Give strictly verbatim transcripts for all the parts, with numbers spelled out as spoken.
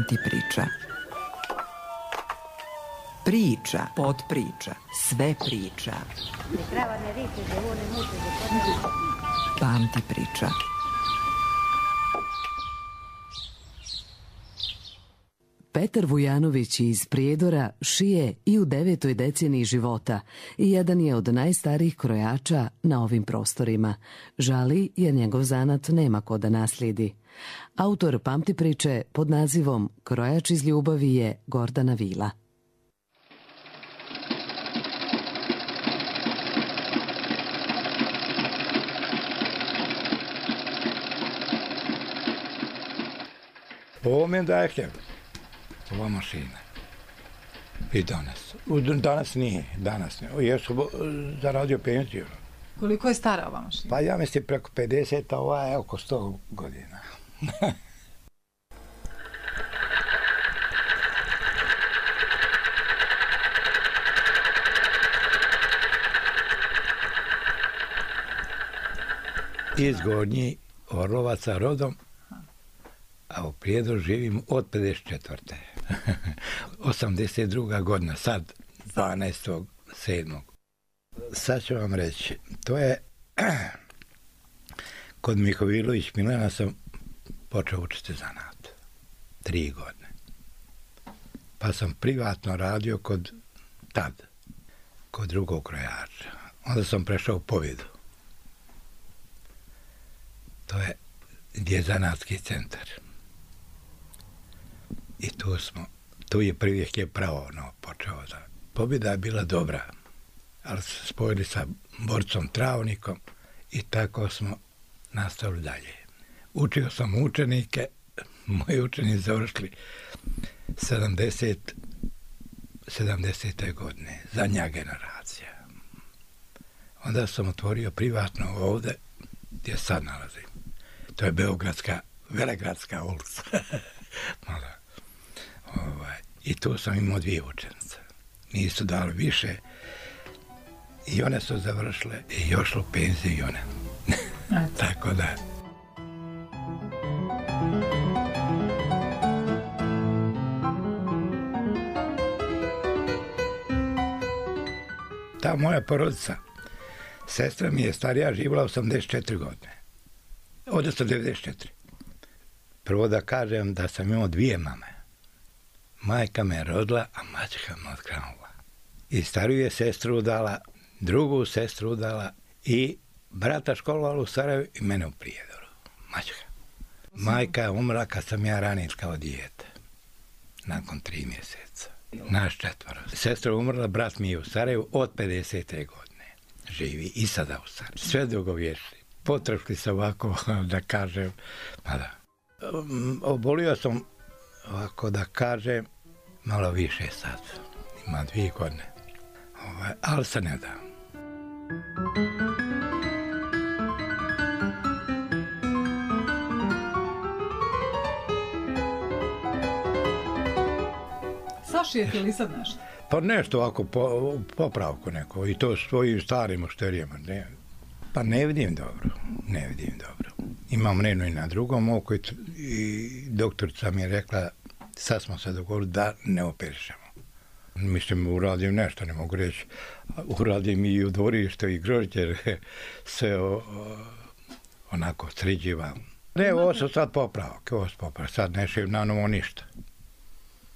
Pamti priča. Priča, potpriča, sve priča. Pamti priča. Petar Vujanović iz Prijedora šije i u devetoj deceniji života i jedan je od najstarijih krojača na ovim prostorima. Žali jer njegov zanat nema ko da naslijedi. Autor Pamti priče pod nazivom Krojač iz ljubavi je Gordana Vila. Ovo mi daje hljeb, ova mašina. I danas. Danas nije, danas nije. Ja sam zaradio penziju. Koliko je stara ova mašina? Pa ja mislim preko pedeset, a ova je oko sto godina. Iz Gornji Orlovaca rodom, a u Prijedoru živim od pedeset četvrte. osamdeset druga godina, sad dvanaestog sedmog Sad ću vam reći, to je kod Mihovilović Milana sam počeo učiti zanat. Tri godine. Pa sam privatno radio kod tad, kod drugog krojača. Onda sam prešao u Povjedu. To je gdje je zanatski centar. I tu smo, tu je prvi hljeb pravo no, počeo da. Pobjeda je bila dobra, ali se spojili sa borcom Travnikom i tako smo nastavili dalje. Učio sam učenike, moji učenici završili sedamdesete godine, zadnja generacija. Onda sam otvorio privatno ovdje, gdje sad nalazim. To je Beogradska, Velegradska ulica. Mala. Ovaj. I tu sam imao dvije učenice. Nisu dali više. I one su završile i još u penziju i one. Tako da. Ta moja porodica, sestra mi je starija, živjela osamdeset četiri godine. Odnosno devedeset četiri. Prvo da kažem da sam imao dvije mame. Majka me rodila, a maćeha me otkranula. I stariju je sestru udala, drugu sestru udala i brata školovala u Sarajevu i mene u Prijedoru. Maćeha. Majka je umrla kad sam ja ranjen kao dijete. Nakon tri mjeseca. Naš četvoro. Sestra je umrla, brat mi je u Sarajevu od pedesete godine. Živi i sada u Sarajevu. Sve dugovječni. Potrošli se ovako, da kažem, pa da. Obolio sam, ovako da kažem, malo više sad. Ima dvije godine. Ovaj, ali se ne da. Sašijete li sad nešto? Pa nešto ovako, po, popravku neko. I to svojim starim ošterijama. Ne. Pa ne vidim dobro, ne vidim dobro. Imam renu i na drugom oku i doktorica mi je rekla, sad smo se dogovorili da ne operišemo. Mislim, uradim nešto, ne mogu reći. Uradim i u dvorištu i grožđe, sve o, o, onako sređivam. Ne, ovo su sad popravak, ovo su popravak, sad ne šim na novo ništa.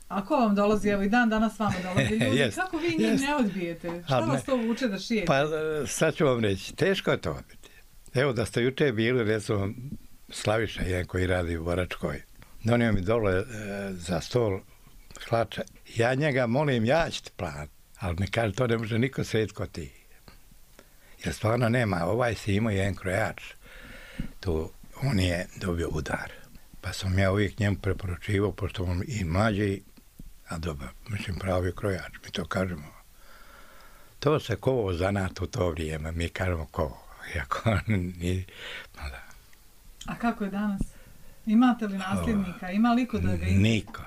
A ko vam dolazi, evo i dan danas vama dolazi ljudi, yes, kako vi njih yes. ne odbijete? Šta vas to vuče da šijete? Pa sad ću vam reći, teško je to odbiti. Evo da ste juče bili, recimo, Slaviša, jedan koji radi u Boračkoj, donio mi dole e, za stol hlače. Ja njega molim, ja ću ti platiti, ali mi kaže, to ne može niko srediti ko ti. Jer stvarno nema, ovaj si imao jedan krojač, tu on je dobio udar. Pa sam ja uvijek njemu preporučivao, pošto on i mlađi, a dobro, mislim, pravi krojač, mi to kažemo. To se kovo zanat u to vrijeme, mi kažemo kovo. Iako nije, no da. A kako je danas? Imate li nasljednika? Ima li ko da ga ima? Niko.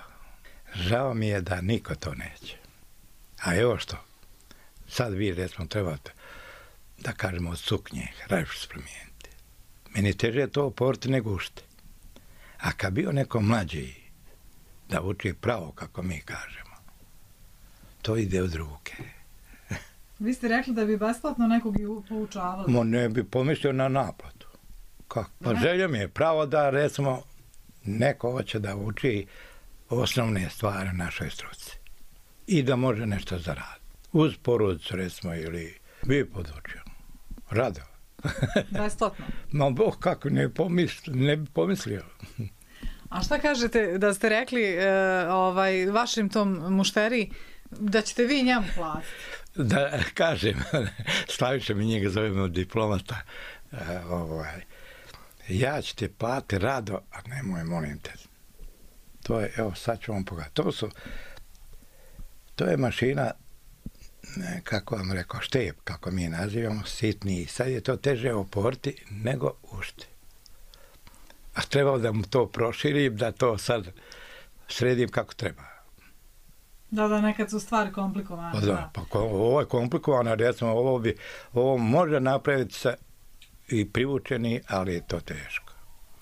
Žao mi je da niko to neće. A evo što, sad vi recimo trebate da kažemo od suknje, rajšu spromijeniti. Meni teže to oporiti nego ušte. A kad bio neko mlađi, da uči pravo, kako mi kažemo. To ide od ruke. Vi ste rekli da bi besplatno nekog i poučavali. Mo ne bi pomislio na naplatu. Kako? Pa želja mi je pravo da, recimo, neko hoće da uči osnovne stvari našoj struci. I da može nešto zaraditi. Uz porodicu, recimo, ili bi podučio. Rado. Besplatno? Ma Bog, kako, ne, pomisli, ne bi pomislio. A šta kažete da ste rekli e, ovaj, vašim tom mušteri da ćete vi njemu platiti? Da kažem, Slaviša mi njega zovemo diplomata, e, ovaj, ja ću te platiti rado, a nemoj, molim te. To je, evo, sad ću vam pogledati. To su, to je mašina, kako vam rekao, štep, kako mi je nazivamo, sitniji. Sad je to teže oporti nego ušti. A trebao da mu to proširim, da to sad sredim kako treba. Da, da, nekad su stvari komplikovane. Pa da, pa ovo je komplikovano, recimo, ovo bi, ovo može napraviti se i privučeni, ali je to teško.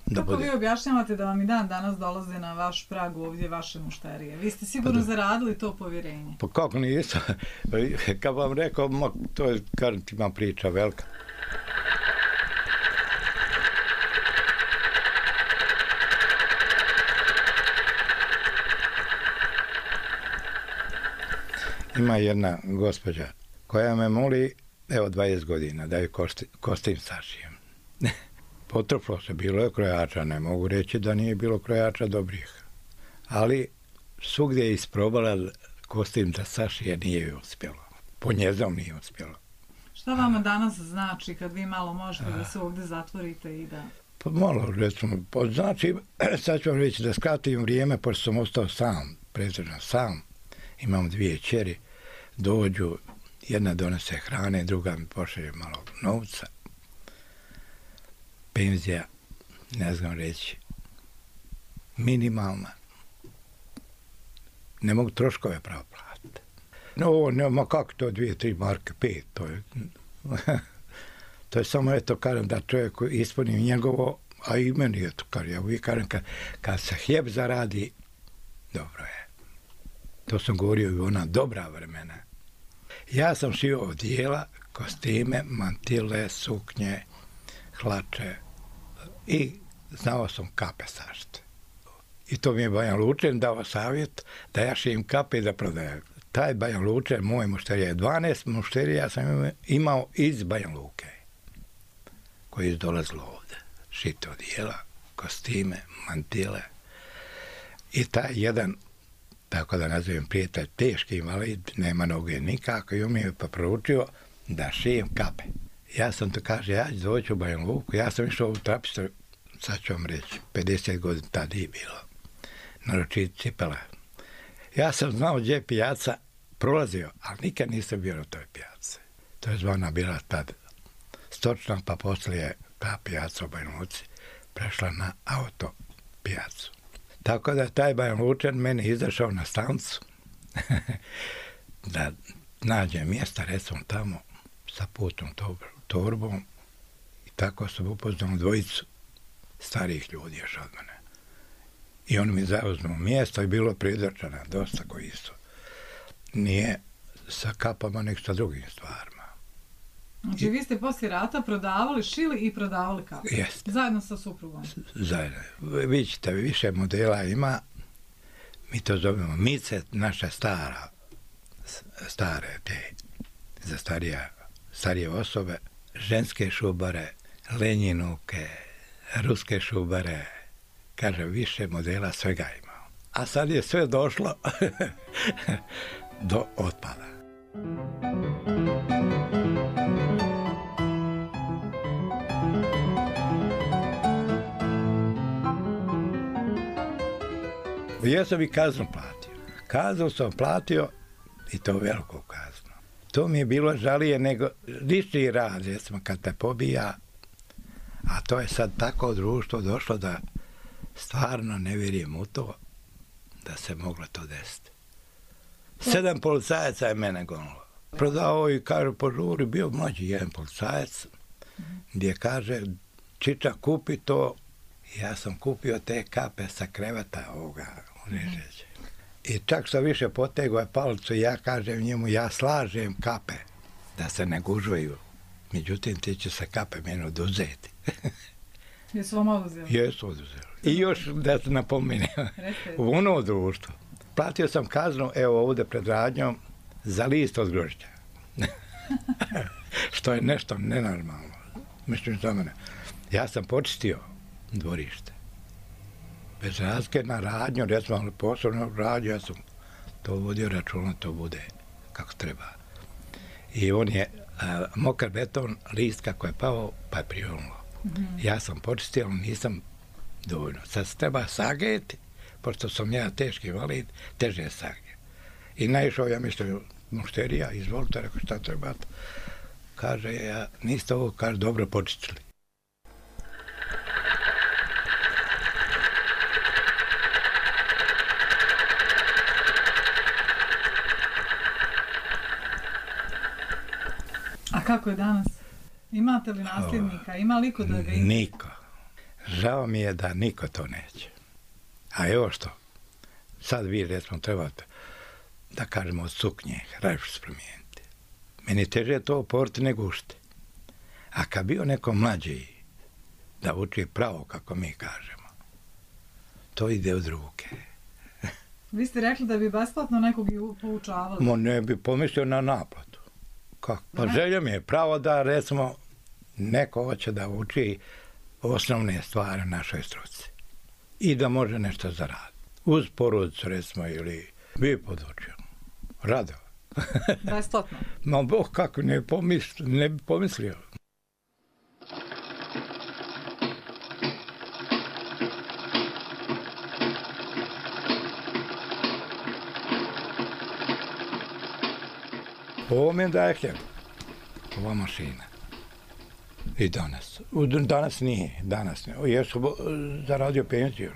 Da Kako bude... vi objašnjavate da vam i dan danas dolaze na vaš prag ovdje vaše mušterije? Vi ste sigurno pa zaradili to povjerenje. Pa kako nisam? Kad vam rekao, to je, kažem ti, ima priča velika. Ima jedna gospođa koja me moli, evo, dvadeset godina, da ju kosti, kostim sašijem. Potrplo se, bilo je krojača, ne mogu reći da nije bilo krojača dobrih. Ali svugdje je isprobala kostim da sašije, nije joj uspjelo. Po njezom nije uspjelo. Šta vama danas znači kad vi malo možete da se ovdje zatvorite i da... Pa malo, recimo, znači, sad ću vam reći da skratim vrijeme, pošto sam ostao sam, pretežno sam, imam dvije čeri, dođu, jedna donese hrane, druga mi pošalje malo novca. Penzija, ne znam reći, minimalna. Ne mogu troškove pravo platiti. No, ne, ma kako to, dvije, tri marke, pet, to je... to je samo, eto, kažem, da čovjek ispuni njegovo, a i meni je to, kažem, ja uvijek kažem, kad, kad se hljeb zaradi, dobro je. To sam govorio i ona dobra vremena. Ja sam šio odijela, kostime, mantile, suknje, hlače i znao sam kape sašiti. I to mi je Bajan Lučen dao savjet da ja šijem kape i da prodajem. Taj Bajan Lučen, moj mušterija je dvanaest mušterija sam imao iz Bajan Luke, koji je dolazilo ovdje. Šite odijela, kostime, mantile. I taj jedan, tako da nazovem prijatelj, teški invalid, nema noge nikako, i on mi je pa proučio da šijem kape. Ja sam to kaže, ja ću doći u Bajan Luku, ja sam išao u trapistor, sad ću vam reći, pedeset godina tada je bilo, naročiti cipela. Ja sam znao gdje je pijaca, prolazio, ali nikad nisam bio na toj pijaci. To je zvana bila tad stočna, pa poslije ta pijaca u Bajan Luci prešla na auto pijacu. Tako da taj Bajan Lučan meni izašao na stancu da nađe mjesta, recimo tamo, sa putnom torbom, i tako sam upoznao dvojicu starijih ljudi još od mene. I oni mi zauzmu mjesto i bilo pridrčana dosta koji su. Nije sa kapama, nek sa drugim stvarima. Znači I, vi ste poslije rata prodavali, šili i prodavali kape? Jeste. Zajedno sa suprugom? Zajedno. Vi ćete, više modela ima, mi to zovemo mice, naša stara, stare te, za starija, starije osobe, ženske šubare, lenjinuke, ruske šubare, kaže, više modela svega ima. A sad je sve došlo do otpada. Ja sam i kaznu platio. Kaznu sam platio, i to veliku kaznu. To mi je bilo žalije nego lični rad, recimo, kad te pobija, a to je sad tako društvo došlo da stvarno ne vjerujem u to da se moglo to desiti. Sedam policajaca je mene gonilo. Prodao i kaže, požuri, bio mlađi jedan policajac, gdje kaže, Čiča, kupi to. Ja sam kupio te kape sa kreveta ovoga Nižeće. I čak što više potegao je palicu i ja kažem njemu, ja slažem kape da se ne gužvaju. Međutim, ti će se kape meni oduzeti. Jesu vam oduzeli? Jesu oduzeli. I još da se napomenem, u ono društvo. Platio sam kaznu, evo ovdje pred radnjom, za list od grožđa. Što je nešto nenormalno. Mislim za mene. Ja sam počistio dvorište. Bez razlike na radnju, recimo posebno radnju, ja sam to vodio računa, to bude kako treba. I on je a, mokar beton, list kako je pao, pa je prionulo. Mm-hmm. Ja sam počistio, ali nisam dovoljno. Sad se treba sageti, pošto sam ja teški invalid, teže je saget. I naišao, ja mislim, mušterija, izvolite, rekao šta treba. Kaže, ja, niste ovo, kaže, dobro počistili. A kako je danas? Imate li nasljednika? Ima li ko da ga ide? Niko. Žao mi je da niko to neće. A evo što, sad vi recimo trebate da kažemo od suknje, rajšu se promijeniti. Meni teže je to oporiti nego ušte. A kad bio neko mlađi da uči pravo, kako mi kažemo, to ide od ruke. Vi ste rekli da bi besplatno nekog i poučavali. Mo ne bi pomislio na naplatu. Kako? Pa želja mi je pravo da recimo neko hoće da uči osnovne stvari našoj struci i da može nešto zaraditi. Uz porodicu recimo ili bi podučio. Rado. Besplatno? Ma Bog kako ne, pomisl, ne bi pomislio. Ovo mi je dajem, ova mašina. I danas. Danas nije, danas nije. Jesu zaradio penziju.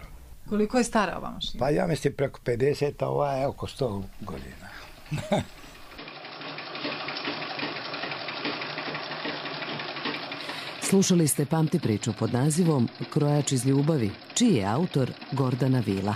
Koliko je stara ova mašina? Pa ja mislim preko pedeset, a ova je oko sto godina. Slušali ste Pamti priču pod nazivom Krojač iz ljubavi, čiji je autor Gordana Vila.